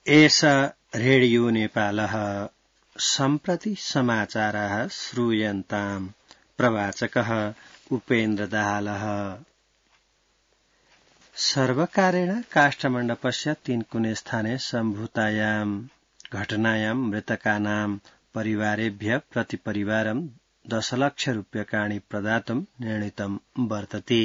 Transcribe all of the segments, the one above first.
एष रेडियो नेपालः सम्प्रति समाचारः श्रूयन्ताम् प्रवाचकः उपेन्द्र दाहालः। सर्वकारेण काष्ठमण्डपस्य 3 कुने स्थाने सम्भूतायाम् घटनायाम् मृतकानां परिवारेभ्यः प्रतिपरिवारं 10 लाख रूप्यकाणि प्रदातुं निर्णीतं वर्तते।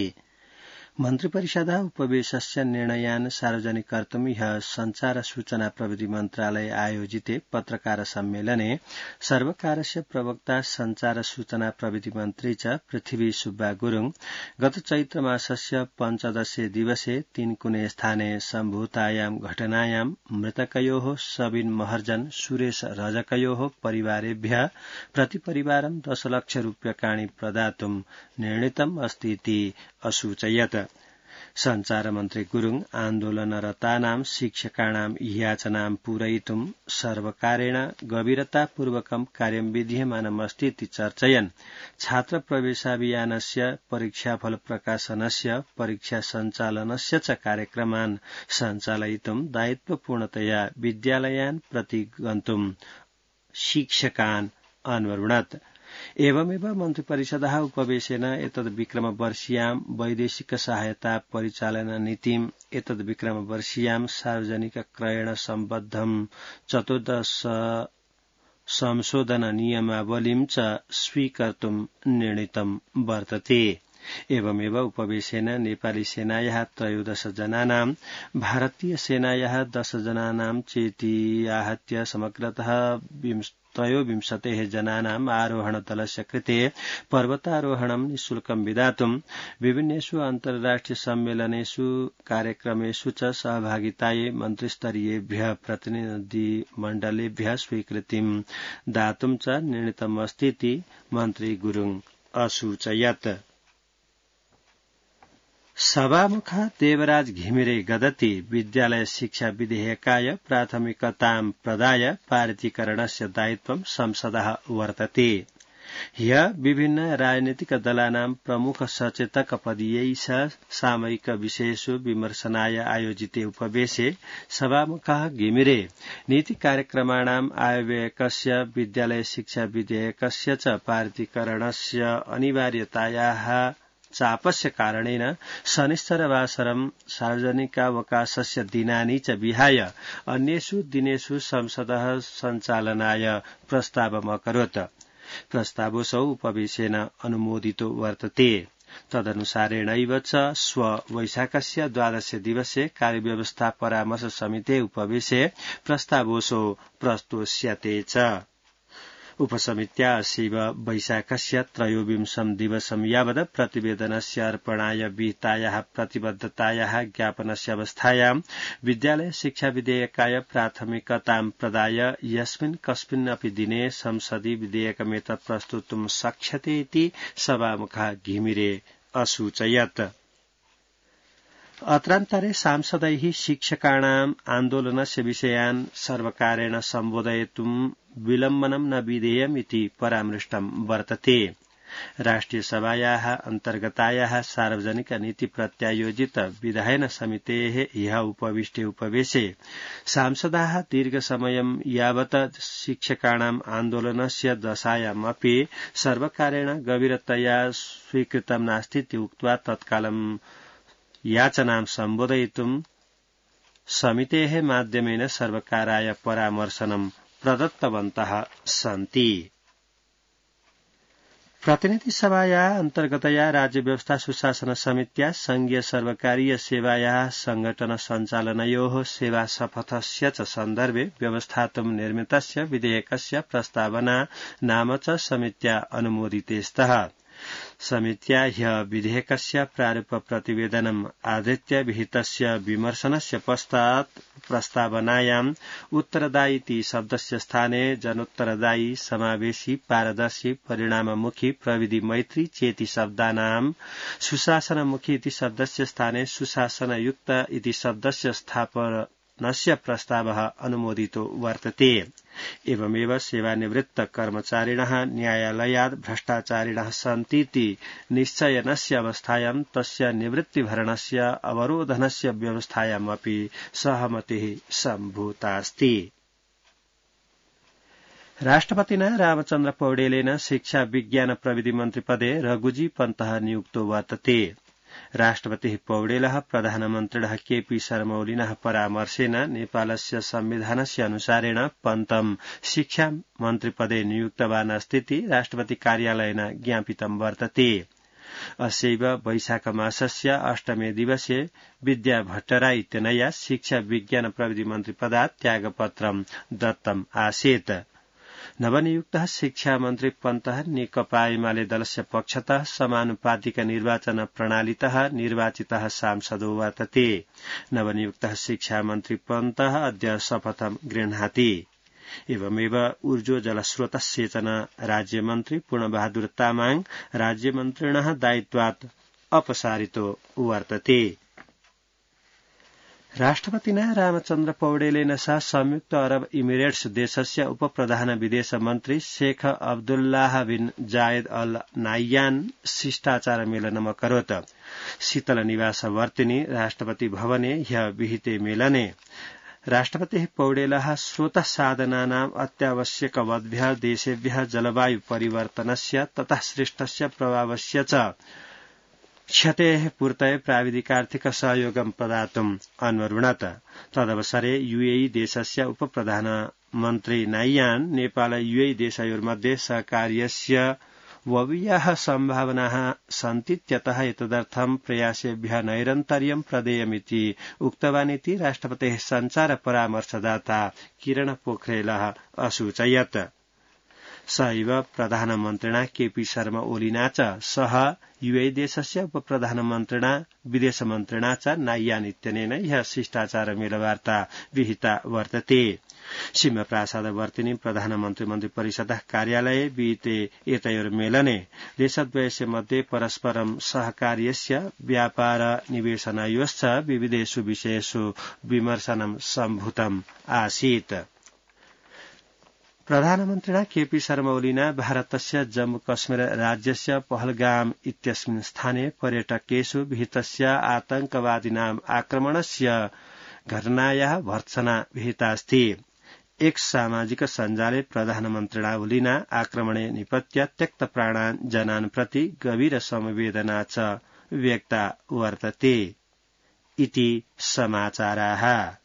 मन्त्रिपरिषदः उपवेशस्य निर्णयान् सार्वजनिक कर्तुं ह्यः संचार सूचना प्रविधि मन्त्रालय आयोजिते पत्रकार सम्मेलने सर्वकारस्य प्रवक्ता संचार सूचना प्रविधि मन्त्री च पृथ्वी सुब्बा गुरुङ गत चैत्र मासस्य 15 दिवसे 3 कुने स्थाने सम्भूतायां घटनायां मृतकयोः सबिन महर्जन सुरेश रजकयोः परिवारेभ्यः प्रतिपरिवारं 10 लाख रूप्यकाणि प्रदातुं निर्णीतम् अस्ति इति असूचयत्। संचार मन्त्री गुरुङ आन्दोलनरतानां शिक्षकाणां याचनां पूरयितुं सर्वकारेण गभीरतापूर्वकं कार्यं विधीयमानमस्ति इति चर्चयन् छात्र प्रवेशाभियानस्य परीक्षाफल प्रकाशनस्य परीक्षा सञ्चालनस्य च कार्यक्रमान् सञ्चालयितुं दायित्वपूर्णतया विद्यालयान् प्रति गन्तुं शिक्षकान् अन्वरुणत्। एवमेव मन्त्रिपरिषदः उपवेशेन एतद्विक्रमवर्षीयां वैदेशिक सहायता परिचालन नीतिम् एतद्विक्रमवर्षीयां सार्वजनिक क्रयण सम्बद्धं 14 संशोधन नियमावलीं च स्वीकर्तुं निर्णीतं वर्तते। एवमेव उपवेशेन नेपाली सेनायाः 13 जनानां भारतीय सेनायाः 10 जनानां चेति आहत्य समग्रतः 23 जनानाम् आरोहण दलस्य कृते पर्वतारोहणं निःशुल्कं विधातुं विभिन्नेषु अन्तर्राष्ट्रिय सम्मेलनेषु कार्यक्रमेषु च सहभागितायै मन्त्रिस्तरीयेभ्यः प्रतिनिधिमण्डलेभ्यः स्वीकृतिं दातुं च निर्णीतमस्ति इति मन्त्री गुरुङ असूचयत्। सभामुखः देवराज घिमिरे गदति विद्यालय शिक्षा विधेयकाय प्राथमिकतां प्रदाय पारितीकरणस्य दायित्वं संसदः वर्तते। ह्यः विभिन्न राजनीतिक दलानां प्रमुख सचेतक पदीयैः सामयिक विषयेषु विमर्शनाय आयोजिते उपवेशे सभामुखः घिमिरे नीति कार्यक्रमाणाम् आयव्ययकस्य विद्यालय शिक्षा विधेयकस्य च पारितीकरणस्य अनिवार्यतायाः चापस्य कारणेन शनिश्चरवासरं सार्वजनिकावकाशस्य दिनानि च विहाय अन्येषु दिनेषु संसदः सञ्चालनाय प्रस्तावमकरोत्। प्रस्तावोऽसौ उपवेशेन अनुमोदितो वर्तते। तदनुसारेणैव च श्व वैशाखस्य 12 दिवसे कार्यव्यवस्था परामर्श समिते उपवेशे प्रस्तावोऽसौ प्रस्तोष्यते च। उपसमित्या असीव वैशाखस्य 23 दिवसं यावत् प्रतिवेदनस्य अर्पणाय विहितायाः प्रतिबद्धतायाः ज्ञापनस्य अवस्थायां विद्यालय शिक्षा विधेयकाय प्राथमिकतां प्रदाय यस्मिन् कस्मिन्नपि दिने संसदि विधेयकमेतत् प्रस्तुतुं शक्यते इति सभामुखः घिमिरे असूचयत्। अत्रान्तरे सांसदैः शिक्षकाणाम् आन्दोलनस्य विषयान् सर्वकारेण सम्बोधयितुं विलम्बनं न विधेयम् इति परामृष्टं वर्तते। राष्ट्रियसभायाः अन्तर्गतायाः सार्वजनिक नीति प्रत्यायोजित विधायन समितेः ह्यः उपविष्टे उपवेशे सांसदाः दीर्घसमयं यावत् शिक्षकाणाम् आन्दोलनस्य दशायामपि सर्वकारेण गभीरतया स्वीकृतं नास्ति इति उक्त्वा तत्कालं याचनां सम्बोधयितुं समितेः माध्यमेन सर्वकाराय परामर्शनं प्रदत्तवन्तः सन्ति। प्रतिनिधिसभायाः अन्तर्गतया राज्य व्यवस्था सुशासन समित्या संघीय सर्वकारीय सेवायाः संगठन सञ्चालनयोः सेवा शपथस्य च सन्दर्भे व्यवस्थातुं निर्मितस्य विधेयकस्य प्रस्तावना नाम च समित्या अनुमोदिते स्तः। समित्या ह्यः विधेयकस्य प्रारूप प्रतिवेदनम् आधृत्य विहितस्य विमर्शनस्य पश्चात् प्रस्तावनायाम् उत्तरदायी इति शब्दस्य स्थाने जनोत्तरदायी समावेशी पारदर्शी परिणाममुखी प्रविधि मैत्री चेति शब्दानाम् सुशासनमुखी इति शब्दस्य स्थाने सुशासनयुक्त इति शब्दस्य स्थापनस्य प्रस्तावः अनुमोदितो वर्तते। एवमेव सेवानिवृत्त कर्मचारिणः न्यायालयात् भ्रष्टाचारिणः सन्तीति निश्चयनस्य अवस्थायां तस्य निवृत्तिभरणस्य अवरोधनस्य व्यवस्थायामपि सहमतिः सम्भूतास्ति। राष्ट्रपतिना रामचन्द्र पौडेलेन शिक्षा विज्ञान प्रविधि मन्त्रिपदे रघुजी पन्तः नियुक्तो वर्तते। राष्ट्रपतिः पौडेलः प्रधानमन्त्रिणः केपी शर्मा ओलीनः परामर्शेन नेपालस्य संविधानस्य अनुसारेण पन्तं शिक्षा मन्त्रिपदे नियुक्तवान् अस्तीति राष्ट्रपति कार्यालयेन ज्ञापितं वर्तते। अस्यैव वैशाख मासस्य 8मे दिवसे विद्या भट्टराई इत्यनया शिक्षा विज्ञान प्रविधि मन्त्रिपदात् त्यागपत्रं दत्तम् आसीत्। नवनियुक्तः शिक्षा मन्त्री पन्तः नेकपा एमाले दलस्य पक्षतः समानुपातिक निर्वाचन प्रणालीतः निर्वाचितः सांसदो वर्तते। नवनियुक्तः शिक्षा मन्त्री पन्तः अद्य शपथं गृह्णाति। एवमेव ऊर्जो जलस्रोत सेचन राज्यमन्त्री पूर्णबहादुर तामाङ राज्यमन्त्रिणः दायित्वात् अपसारितो वर्तते। राष्ट्रपतिना रामचन्द्र पौडेलेन सह संयुक्त अरब इमिरेट्स देशस्य उपप्रधान विदेश मन्त्री शेख अब्दुल्लाह बिन जायद अल नाह्यान शिष्टाचार मेलनम करोत्। शीतल निवास वर्तिनि राष्ट्रपति भवने ह्यः विहिते मेलने राष्ट्रपतिः पौडेलः स्रोत साधनानाम् अत्यावश्यकवद्भ्यः देशेभ्यः जलवायु परिवर्तनस्य ततः सृष्टस्य प्रभावस्य च क्षतेः पूर्तये प्राविधिकार्थिक सहयोगं प्रदातुम् अन्वरुणत। तदवसरे यूएई देशस्य उपप्रधानमन्त्री नाह्यान नेपाल यूएई देशयोर्मध्ये सहकार्यस्य बह्व्यः सम्भावनाः सन्तीत्यतः एतदर्थं प्रयासेभ्यः नैरन्तर्यं प्रदेयमिति उक्तवानिति राष्ट्रपतेः सञ्चार परामर्शदाता किरण पोखरेलः असूचयत्। सहैव प्रधानमन्त्रिणा केपी शर्मा ओलीना च सह यूएई देशस्य उपप्रधानमन्त्रिणा विदेशमन्त्रिणा च नाह्यान इत्यनेन ह्यः शिष्टाचार मेलवार्ता विहिता वर्तते। सिंहप्रासादवर्तिनि प्रधानमन्त्री मन्त्री परिषदः कार्यालये विहिते एतयोर्मेलने देशद्वयस्य मध्ये परस्परं सहकार्यस्य व्यापार निवेशनयोश्च विविधेषु विषयेषु विमर्शनं सम्भूतम् आसीत्। प्रधानमन्त्रिणा केपी शर्मा ओलीना भारतस्य जम्मू कश्मीर राज्यस्य पहलगाम इत्यस्मिन् स्थाने पर्यटकेषु विहितस्य आतंकवादिनाम् आक्रमणस्य घटनायाः भर्त्सना विहितास्ति। एक सामाजिक सञ्जाले प्रधानमन्त्रिणा ओलीना आक्रमणे निपत्य त्यक्तप्राणान् जनान् प्रति गभीर समवेदना च व्यक्ता वर्तते इति समाचाराः।